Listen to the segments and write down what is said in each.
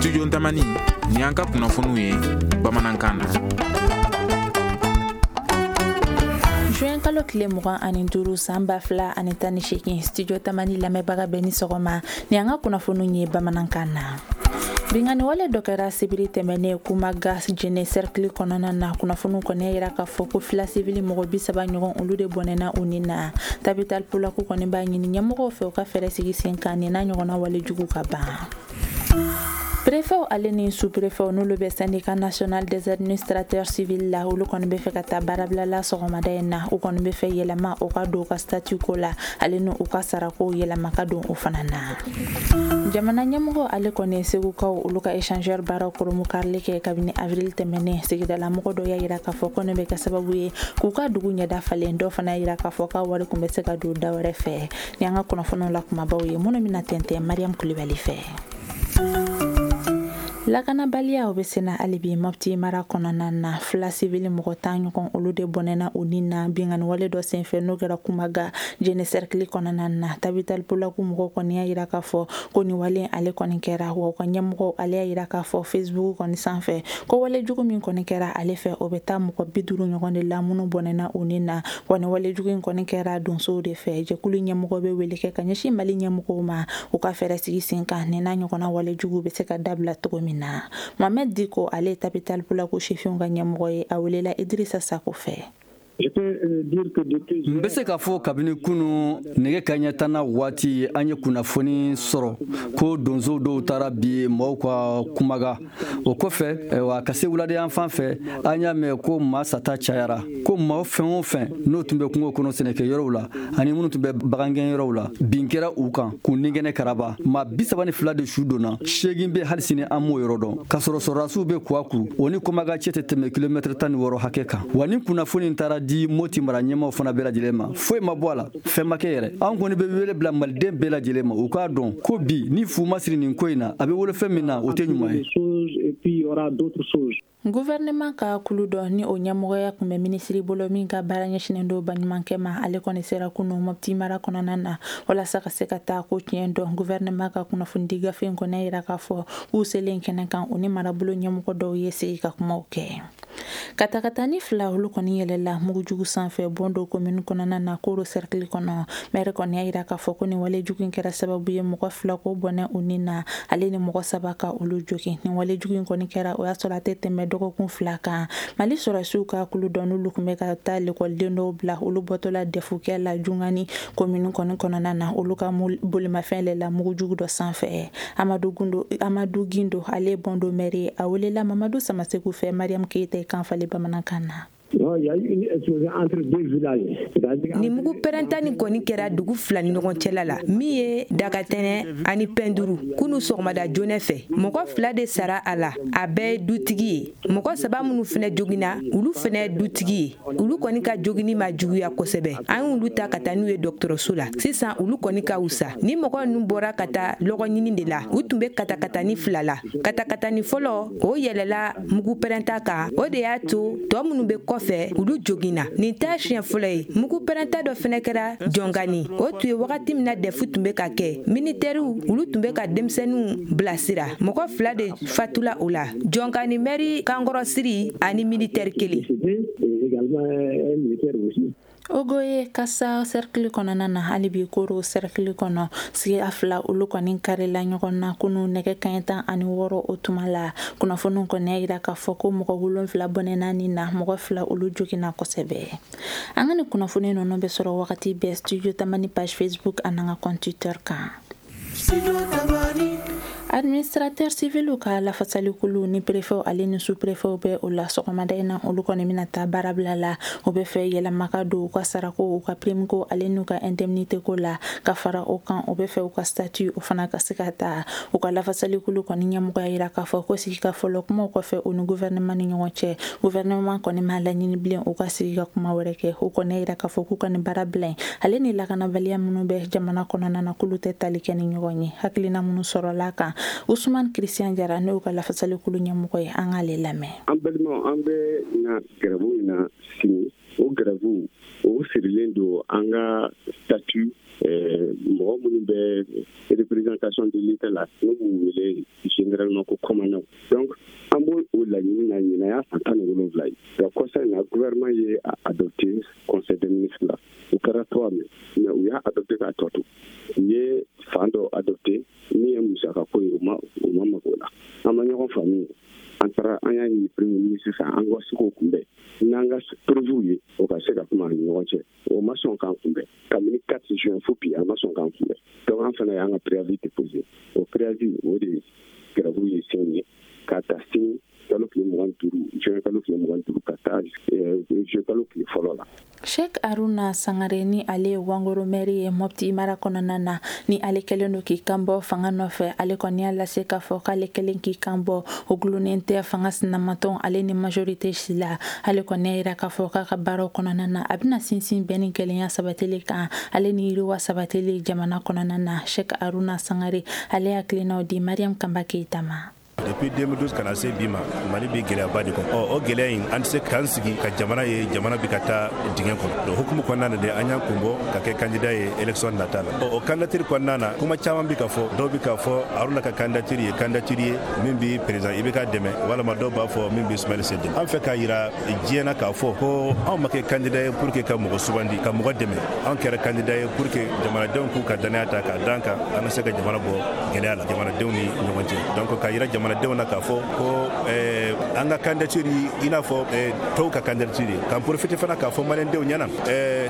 Studio Tamani, ni an ka kunnafoniw ye bamanankan na. Juin kalo tile 25 san 2018, Studio Tamani lamɛnbaga bɛɛ ni sɔgɔma, ni an ka kunnafoniw ye bamanankan na. Binkanni wale dɔ kɛra sibiri tɛmɛnen Kumaga Jene cercle kɔnɔna na. Kunnafoniw kɔni yira k'a fɔ ko fila sivili mɔgɔ 30 ɲɔgɔn, olu de bɔnɛna u ni na. Tabital Pulaku kɔni b'a ɲini ɲɛmɔgɔw fɛ u ka fɛɛrɛ sigi sen kan nin n'a ɲɔgɔnna wale jugu ka ban. Préfet ale ni sous-préfet, n'olu bɛ Syndicat national des administrateurs civils la, olu kɔni bɛ fɛ ka taa baarabila la sɔgɔmada in na. U kɔni bɛ fɛ yɛlɛma o ka don u ka statut ko la, ale ni u ka sarako yɛlɛma ka don o fana na. Jamana ɲɛmɔgɔ ale kɔni ye Segukaw olu ka échangeur baaraw koromukarili kɛ kabini avril tɛmɛnen. Sigidalamɔgɔ dɔ y'a yira k'a fɔ ko nin bɛ kɛ sababu ye k'u ka dugu ɲɛda falen. Dɔw fana y'a yira k'a fɔ k'a wari tun bɛ se ka don da wɛrɛ fɛ. Ni an ka kunnafoniw la kumabaw ye minnu bɛna tɛntɛn Mariam Kulibali fɛ. Lakanabaliya o bɛ senna hali bi Mopti mara kɔnɔna na. Fila sivili mɔgɔ 10 ɲɔgɔn, olu de bɔnɛna u ni na binkanni wale dɔ senfɛ n'o kɛra Kumaga Jene cercle kɔnɔna na. Tabital Pulaku mɔgɔw kɔni y'a yira k'a fɔ ko nin wale ale kɔni kɛra, wa u ka ɲɛmɔgɔw ale y'a yira k'a fɔ Facebook kɔni sanfɛ ko wale jugu min kɔni kɛra ale fɛ, o bɛ taa mɔgɔ 50 ɲɔgɔn de la minnu bɔnɛna u ni na. Wa nin wale jugu in kɔni kɛra donsow de fɛ. Jɛkulu ɲɛmɔgɔ bɛ wele kɛ ka ɲɛsin Mali ɲɛmɔgɔw ma u ka fɛɛrɛ sigi sen kan nin n'a ɲɔgɔnna wale jugu bɛ se ka dabila cogo min na. Mohamed Diko ale ye Tabital Pulaku sifinw ka ɲɛmɔgɔ ye, a welela Idrissa Sako fɛ. N bɛ se k'a fɔ kabini kunu nɛgɛ kaɲɛ 10 waati, an ye kunnafoni sɔrɔ ko donsow dɔw taara bi maaw ka Kumaga. O kɔfɛ wa ka se wuladen fan fɛ, an y'a mɛn ko maa sata cayara, ko maa fɛn o fɛn n'o tun bɛ kungo kɔnɔ sɛnɛkɛ yɔrɔw la ani minnu tun bɛ bagangɛn yɔrɔw la, bin kɛra u kan k'u nigɛnɛ karaba. Maa 32 de su donna, 8 bɛ hali sini an m'o yɔrɔ dɔn, k'a sɔrɔ sɔrɔdasiw bɛ Kuwaku, o ni Kumaga cɛ tɛ tɛmɛ kilomɛtɛrɛ 16 hakɛ kan. Wa ni kunnafoni taara di Moti mara ɲɛmaaw fana bɛɛ lajɛlen ma, foyi ma bɔ a la, fɛn ma kɛ yɛrɛ. An kɔni bɛ wele bila maliden bɛɛ lajɛlen ma, u k'a dɔn ko bi ni fu ma siri nin ko in na, a bɛ wolo fɛn min na, o tɛ ɲuman ye. Gouvernement ka kulu dɔ ni o ɲɛmɔgɔya tun bɛ minisiri bolo min ka baara ɲɛsinnen don baɲumankɛ ma, ale kɔni sera kunu Mopti mara kɔnɔna na walasa ka se ka taa ko tiɲɛ dɔn. Gouvernement ka kunnafonidi gafe in kɔni yira k'a fɔ k'u selen kɛnɛ kan, u ni marabolo ɲɛmɔgɔ dɔw ye sigi ka kumaw kɛ. Katakatani 2, olu kɔni yɛlɛla mugujugu sanfɛ Bondo commune kɔnɔna na, Koro cercle kɔnɔ. Maire kɔni y'a yira k'a fɔ ko nin wale jugu in kɛra sababu ye mɔgɔ 2 ko bɔnɛ u ni na, ale ni mɔgɔ 3 ka olu jogin. Nin wale jugu in kɔni kɛra o y'a sɔrɔ a tɛ tɛmɛ dɔgɔkun 2 kan. Mali sɔrɔdasiw ka kulu dɔ n'olu tun bɛ ka taa lekɔliden dɔw bila, olu bɔtɔla dɛfukɛ la Jungani commune kɔni kɔnɔna na, olu ka bolimafɛn yɛlɛla mugujugu dɔ sanfɛ. Amadu Gundo, Amadu Gindo, ale ye Bondo maire ye, a welela Mamadu Samaseku fɛ Mariam Keita kan falen bamanankan na. Nin mugu pɛrɛnta nin kɔni kɛra dugu 2 ni ɲɔgɔn cɛla la, min ye Dagatɛnɛ ani Pɛnduru, kunu sɔgɔmada joona fɛ. Mɔgɔ 2 de sara a la, a bɛɛ ye dutigi ye. Mɔgɔ 3 minnu fana joginna, olu fana ye dutigi ye. Olu kɔni ka joginni ma juguya kosɛbɛ, an y'olu ta ka taa n'u ye dɔgɔtɔrɔso la. Sisan olu kɔni ka wusa. Ni mɔgɔ ninnu bɔra ka taa lɔgɔ ɲini de la, u tun bɛ katakatani 2 la. Katakatani fɔlɔ, o yɛlɛla mugu pɛrɛnta kan, o de y'a to tɔ minnu bɛ kɔfɛ, olu joginna. Nin t'a siɲɛ fɔlɔ ye. Mugu pɛrɛnta dɔ fana kɛra Jɔngani, o tun ye wagati min na dɛfu tun bɛ ka kɛ. Militɛriw, olu tun bɛ ka denmisɛnninw bilasira. Mɔgɔ 2 de fatula o la, Jɔngani mɛri kankɔrɔsiri ani militɛri 1. Ogoye Kasa cercle kɔnɔna na, hali bi Koro cercle kɔnɔ, sigiya 2 olu kɔni karila ɲɔgɔn na kunu nɛgɛ kaɲɛ 16 o tuma la. Kunnafoniw kɔni y'a yira k'a fɔ ko mɔgɔ 7 bɔnɛna nin na, mɔgɔ 2 olu joginna kosɛbɛ. An ka nin kunnafoni ninnu bɛ sɔrɔ wagati bɛɛ Studio Tamani page Facebook ani an ka compte Twitter kan. Administrateur civil ka lafasalikulu ni préfet ale ni sous-préfet bɛ o la sɔgɔmada in na, olu kɔni bɛna taa baarabila la. O bɛ fɛ yɛlɛma ka don u ka sarako, u ka prime ko ale n'u ka indemnité ko la. Ka fara o kan, o bɛ fɛ u ka statut o fana ka se ka ta. U ka lafasalikulu kɔni ɲɛmɔgɔ y'a yira k'a fɔ ko sigi ka fɔlɔ kumaw kɔfɛ u ni gouvernement ni ɲɔgɔn cɛ, gouvernement kɔni m'a laɲini bilen u ka sigi ka kuma wɛrɛ kɛ. U kɔni y'a yira k'a fɔ k'u ka nin baarabila in ale ni lakanabaliya minnu bɛ jamana kɔnɔna na, k'olu tɛ tali kɛ ni ɲɔgɔn ye. Hakilina minnu sɔrɔla kan, Ousmane Christian Jara n'o ka lafasalikulu ɲɛmɔgɔ ye, an k'ale lamɛn. An balimaw, an bɛ na gɛrɛbu in na sini. O grève, o sirilen don an ka statut, mɔgɔ minnu bɛ représentation de l'État la, n'u b'u wele généralement ko commandant. Donc an b'o o laɲini na. Ɲinan y'a san 17 ye. Donc kɔsa in na, gouvernement ye a adopté conseil des ministres la. O kɛra 3 mai, mais u y'a adopté k'a tɔ to. U ye fan dɔ adopté min ye musakako ye, u ma mago la. An ma ɲɔgɔn faamu. An taara, an y'a ɲini premier ministre fɛ, an ka se k'o kunbɛn n'an ka preuve ye, o ka se ka kuma an ni ɲɔgɔn cɛ. O ma sɔn k'an kunbɛn kabini 4 juin fo bi, a ma sɔn k'an kunbɛn. Donc an fana y'an ka préavis déposé. O préavis, o de grève ye sini ye, k'a ta sini kalo tile 25, juin kalo tile 25, ka taa juin kalo tile 1 la. Sheikh Aruna Sangare, ni ale ye Wangoro maire ye Mopti mara kɔnɔna na, ni ale kɛlen don k'i kan bɔ fanga nɔfɛ, ale kɔni y'a lase k'a fɔ k'ale kɛlen k'i kan bɔ, o gulonnen tɛ fanga sinamatɔn ale ni majorité si la. Ale kɔni y'a yira k'a fɔ k'a ka baaraw kɔnɔna na, a bɛna sinsin bɛn ni kelenya sabatili kan, ale ni yiriwa sabatili jamana kɔnɔna na. Sheikh Aruna Sangare, ale hakilinaw di Mariam Kanba Keyita ma. Depuis 2012 ka na se bi ma, Mali bɛ gɛlɛyaba de kɔnɔ. Ɔ, o gɛlɛya in, an tɛ se k'an sigi ka jamana ye, jamana bɛ ka taa dingɛ kɔnɔ. Donc hukumu kɔnɔna na de, an y'an kun bɔ ka kɛ candidat ye élection nata la. Ɔ, o candidature kɔnɔna na, kuma caman bɛ ka fɔ. Dɔw bɛ ka fɔ Aruna ka candidature ye candidature ye min bɛ président IBK dɛmɛ, walama dɔw b'a fɔ min bɛ Sumayila Sise dɛmɛ. An fɛ k'a yira diɲɛ na k'a fɔ ko anw ma kɛ candidat ye pour que ka mɔgɔ sugandi ka mɔgɔ dɛmɛ. Anw kɛra candidat ye pour que jamanadenw k'u ka danaya ta k'a d'an kan, an ka se ka jamana bɔ gɛlɛya la, jamanadenw ni ɲɔgɔn cɛ. Donc k'a yira jamanadenw na k'a fɔ ko an ka candidature, i n'a fɔ tɔw ka candidature ye. K'an profiter fana k'a fɔ maliyɛndenw ɲɛna,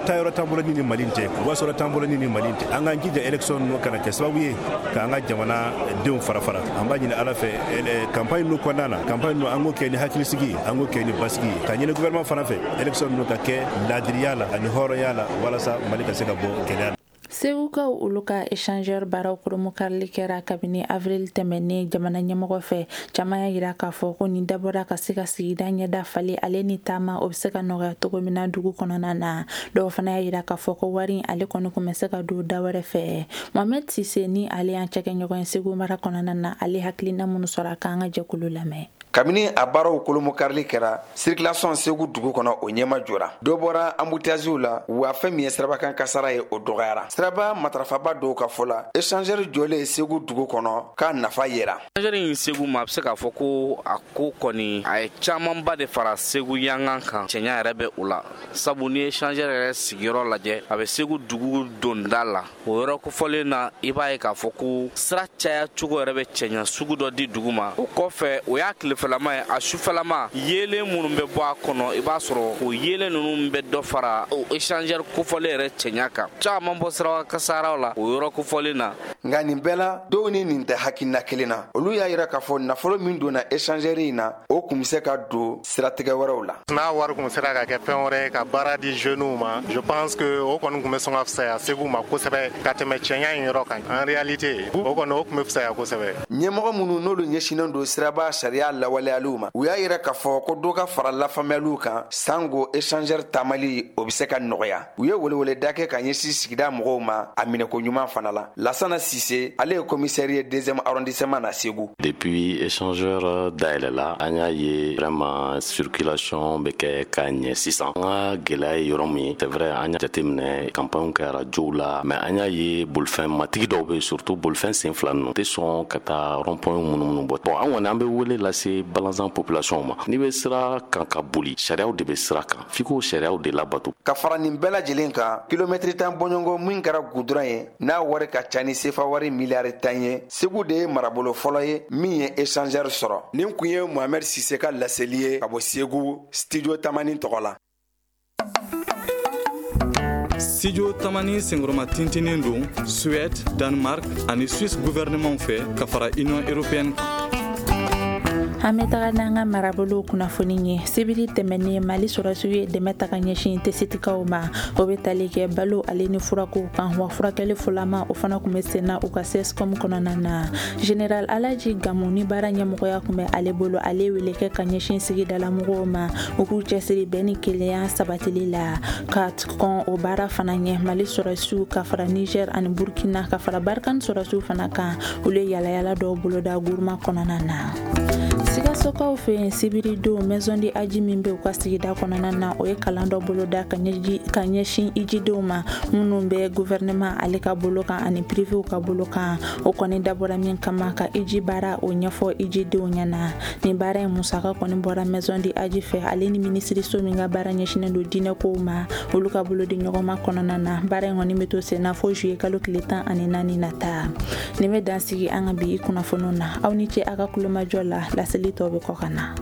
taayɔrɔ t'an bolo ni ni Mali tɛ, wasɔrɔ t'an bolo ni ni Mali tɛ. An k'an jija, élection ninnu kana kɛ sababu ye k'an ka jamana denw fara fara. An b'a ɲini Ala fɛ, campagne ninnu kɔnɔna na, campagne ninnu, an k'o kɛ ni hakilisigi ye, an k'o kɛ ni basigi ye, ka ɲini gouvernement fana fɛ, élection ninnu ka kɛ laadiriya la ani hɔrɔnya la, walasa Mali ka se ka bɔ gɛlɛya la. Segukaw, olu ka échangeur baaraw koromokarili kɛra kabini avril tɛmɛnen jamana ɲɛmɔgɔ fɛ. Caman y'a yira k'a fɔ ko nin dabɔra ka se ka sigida ɲɛda falen, ale ni taama o bɛ se ka nɔgɔya cogo min na dugu kɔnɔna na. Dɔw fana y'a yira k'a fɔ ko wari ale kɔni kun bɛ se ka don da wɛrɛ fɛ. Mohamed Sise, ni ale y'an cɛkɛɲɔgɔn ye Segu mara kɔnɔna na, ale hakilina minnu sɔrɔ a k'an ka jɛkulu lamɛn. Kabini a baaraw kolomokarili kɛra, circulation Segu dugu kɔnɔ, o ɲɛma jɔra. Dɔ bɔra embouteillage la wa. Fɛn min ye sirabakan kasara ye, o dɔgɔyara. Siraba matarafaba dɔw ka fɔ la, échangeur jɔlen Segu dugu kɔnɔ, k'a nafa yera. Échangeur in Segu ma, a bɛ se k'a fɔ ko a ko kɔni, a ye camanba de fara Segu yangan kan. Cɛɲa yɛrɛ bɛ o la, sabu ni échangeur yɛrɛ sigiyɔrɔ lajɛ, a bɛ Segu dugu donda la. O yɔrɔ kofɔlen na, i b'a ye k'a fɔ ko sira caya cogo yɛrɛ bɛ cɛɲa sugu dɔ di dugu ma. O kɔfɛ, o y'a tilefɛlama ye. A sufɛlama, yeelen minnu bɛ bɔ a kɔnɔ, i b'a sɔrɔ o yeelen ninnu bɛ dɔ fara o échangeur kofɔlen yɛrɛ cɛɲa kan. Caman bɔ sira kasaraw la o yɔrɔ kofɔlen na. Nka nin bɛɛ la, dɔw ni nin tɛ hakilina kelen na. Olu y'a yira k'a fɔ nafolo min donna échangeur in na, o kun bɛ se ka don siratigɛ wɛrɛw la. N'a wari kun sera ka kɛ fɛn wɛrɛ ye ka baara di jeunes ma, je pense que o kɔni kun bɛ sɔn ka fisaya Segu ma kosɛbɛ ka tɛmɛ cɛɲa in yɔrɔ kan. En réalité, o kɔni, o kun bɛ fisaya kosɛbɛ. Ɲɛmɔgɔ minnu n'olu ɲɛsinnen don siraba sariya lawaleyaliw ma, u y'a yira k'a fɔ ko dɔ ka fara lafaamuyaliw kan, sango échangeur taamali, o bɛ se ka nɔgɔya. U ye weleweleda kɛ ka ɲɛsin sigida mɔgɔw ma a minɛko ɲuman fana la. Lasana Sise, ale ye commissaire ye deuxième arrondissement na Segu. Depuis échangeur dayɛlɛla, an y'a ye vraiment circulation bɛ kɛ ka ɲɛ sisan. An ka gɛlɛya ye yɔrɔ min ye, c'est vrai, an y'a jateminɛ, campagne kɛ radio la, mais an y'a ye bolifɛn matigi dɔw bɛ, surtout bolifɛn sen fila ninnu, tɛ sɔn ka taa rond point minnu bɔ. Bon, an kɔni, an bɛ wele lase balanzan population ma: n'i bɛ sira kan ka boli, sariyaw de bɛ sira kan, f'i k'o sariyaw de labato. Ka fara nin bɛɛ lajɛlen kan, kilomɛtiri 10 bɔɲɔgɔn min kɛra gudɔrɔn ye, n'a wari ka ca ni sefa wari miliyari 10 ye, Segu de ye marabolo fɔlɔ ye min ye échangeur sɔrɔ. Nin kun ye Mohamɛd Sise ka laseli ye ka bɔ Segu, Studio Tamani tɔgɔ la. Studio Tamani senkɔrɔma tintinen don Suède, Danemark ani Suisse gouvernement fɛ, ka fara Union européenne kan. An bɛ taga n'an ka marabolo kunnafoni ye. Sibiri tɛmɛnen, Mali sɔrɔsiw ye dɛmɛ ta ka ɲɛsin Tesitikaw ma. O bɛ tali kɛ balo ale ni furakow kan, wa furakɛli fɔlama, o fana tun bɛ sen na u ka CSCOM kɔnɔna na. Général Alaji Gamu, ni baara ɲɛmɔgɔya tun bɛ ale bolo, ale wele kɛ ka ɲɛsin sigidalamɔgɔw ma, u k'u cɛsiri bɛn ni kelenya sabatili la. Ka kɔn o baara fana ɲɛ, Mali sɔrɔsiw ka fara Niger ani Burkina, ka fara Barkhane sɔrɔsiw fana kan, olu ye yalayala dɔw boloda Guruma kɔnɔna na. Sikasokaw fɛ yen, sibiridon, Maison du Hadj min bɛ u ka sigida kɔnɔna na, o ye kalan dɔ boloda ka ɲɛsin ijidenw ma minnu bɛ gouvernement ale ka bolo kan ani privéw ka bolo kan. O kɔni dabɔra min kama, ka iji baara o ɲɛfɔ ijidenw ɲɛna. Nin baara in musaka kɔni bɔra Maison du Hadj fɛ, ale ni minisiriso min ka baara ɲɛsinnen don diinɛkow ma, olu ka bolo di ɲɔgɔnma kɔnɔna na. Baara in kɔni bɛ to sen na fo juillet kalo tile 14 nata. Nin bɛ dan sigi an ka bi kunnafoniw na. Aw ni ce a ka kulomajɔ la. Laseli tɔw bɛ kɔ ka na.